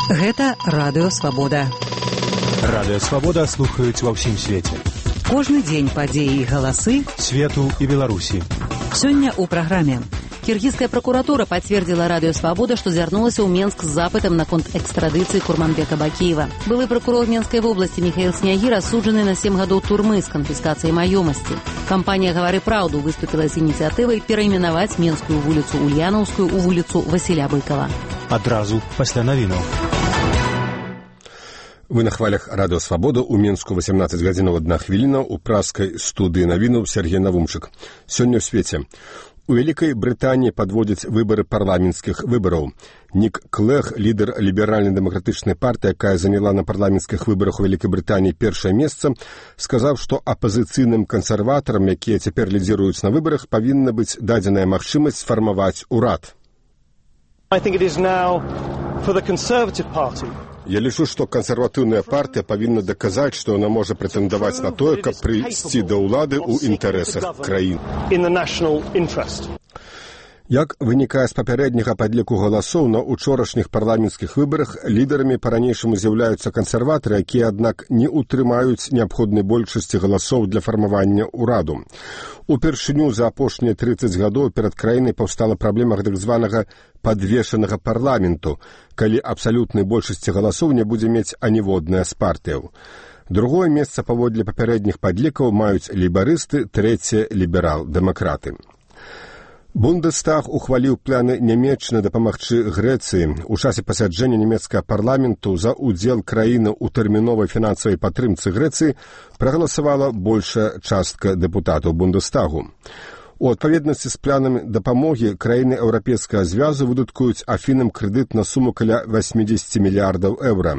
Гэта Радыё Свабода. Радыё Свабода слухаюць ва ўсім свеце. Кожны дзень падзеі і галасы свету і Беларусі. Сёння ў праграме. Киргизская прокуратура подтвердила Радио Свобода, что звернулась в Минск с запытом на конт экстрадиции Курманбека Бакиева. Былый прокурор Минской области Михаил Сняги рассуджены на 7 годов турмы с конфискацией маёмасти. Компания «Говори правду» выступила с инициативой переименовать Минскую улицу Ульяновскую у улицу Василя Быкова. Адразу пасля навінаў. Вы на хвалях Радио Свобода у Мінску 18 гадзінаў 1 хвіліна у праскай студыі навінаў Сергей Навумчык. Сёння ў свеце. У Вялікай Брытаніі падводзяць выбары парламенцкіх выбараў. Нік Клэг, лідар ліберальна-дэмакратычнай партыі, якая заняла на парламенцкіх выбарах у Вялікай Брытаніі першае месца, сказаў, што апазіцыйным кансерватарам, якія цяпер лідзіруюць на выбарах, павінна быць дадзеная магчымасць сфармаваць урад. Я лічу, што кансерватыўная партыя павінна даказаць, што яна можа прэтэндаваць на тое, каб прыйсці да ўлады ў інтарэсах краін. Як вынікае з папярэдняга падліку галасоў, на учорашніх парламенцкіх выбарах лідарамі па-ранейшаму з'яўляюцца кансерватары, якія, аднак, не ўтрымаюць неабходнай большасці галасоў для фармавання ўраду. Упершыню за апошнія 30 гадоў перад краінай паўстала праблема так званага падвешанага парламенту, калі абсалютнай большасці галасоў не будзе мець аніводная з партыяў. Другое месца паводле папярэдніх падлікаў маюць лейбарысты, трэцяе ліберал-дэмакраты. Бундестаг ухваліў планы Нямецчыны дапамагчы Грэцыі. У часе пасяджэння нямецкага парламенту за ўдзел краіны ў тэрміновай фінансавай падтрымцы Грэцыі прагаласавала большая частка дэпутатаў Бундестагу. У адпаведнасці з планамі дапамогі краіны Еўрапейскага звязу выдаткуюць Афінам крэдыт на суму каля 80 мільярдаў еўра.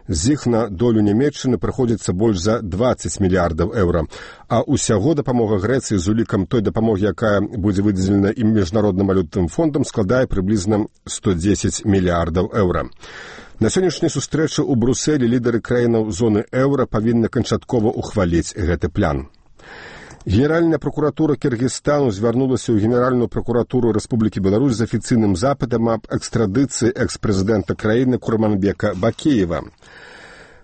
З іх на долю Нямецчыны прыходзіцца больш за 20 мільярдаў еўра, а ўсяго дапамога Грэцыі з улікам той дапамогі, якая будзе выдзелена ім міжнародным валютным фондам, складае прыблізна 110 мільярдаў еўра. На сённяшняй сустрэчы ў Брусэлі лідары краінаў зоны еўра павінны канчаткова ухваліць гэты план. Генеральная прокуратура Киргизстану звярнулася ў Генеральную прокуратуру Рэспублікі Беларусь з афіцыйным запытам аб экстрадыцыі экс-прэзідэнта краіны Курманбека Бакиева.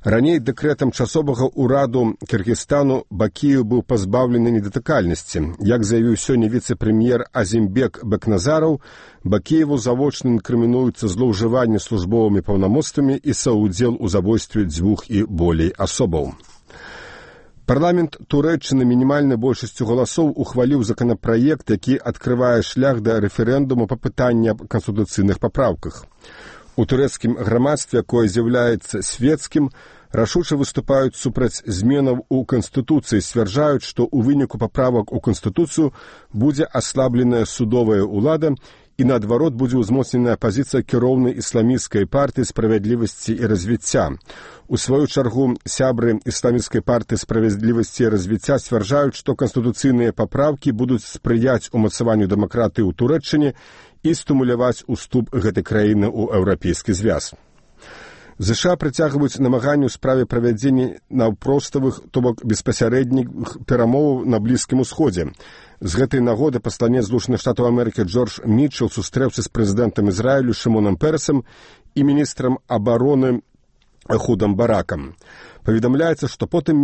Раней дэкрэтам часовага ўраду Киргизстану Бакиев быў пазбаўлены недатыкальнасці. Як заявіў сёння віцэ-прэм'ер Азімбек Бекназараў, Бакиеву завочна інкрымінуюцца злоўжыванне службовымі паўнамоцтвамі і саўдзел у забойстве 2 і болей асобаў. Парламент Турэччыны мінімальнай большасцю галасоў ухваліў законапраект, які адкрывае шлях да рэферэндуму па пытанні аб канстытуцыйных папраўках. У турэцкім грамадстве, якое з'яўляецца свецкім, рашуча выступаюць супраць зменаў у Канстытуцыі, сцвярджаюць, што ў выніку паправак у Канстытуцыю будзе аслабленая судовая ўлада і, наадварот, будзе ўзмоцненая пазіцыя кіроўнай ісламісцкай партыі справядлівасці і развіцця. У сваю чаргу сябры ісламісцкай партыі справядлівасці і развіцця сцвярджаюць, што канстытуцыйныя папраўкі будуць спрыяць умацаванню дэмакратыі ў Турэччыне і стымуляваць уступ гэтай краіны ў Еўрапейскі звяз. ЗША прыцягваюць намаганні ў справе правядзення наўпроставых, то бок беспасярэдніх перамоваў на Блізкім Усходзе. З гэтай нагоды пасланец Злучаных Штатаў Амерыкі Джордж Мітчел сустрэўся з прэзідэнтам Ізраілю Шымонам Перасам і міністрам абароны Эхудам Баракам. Паведамляецца, што потым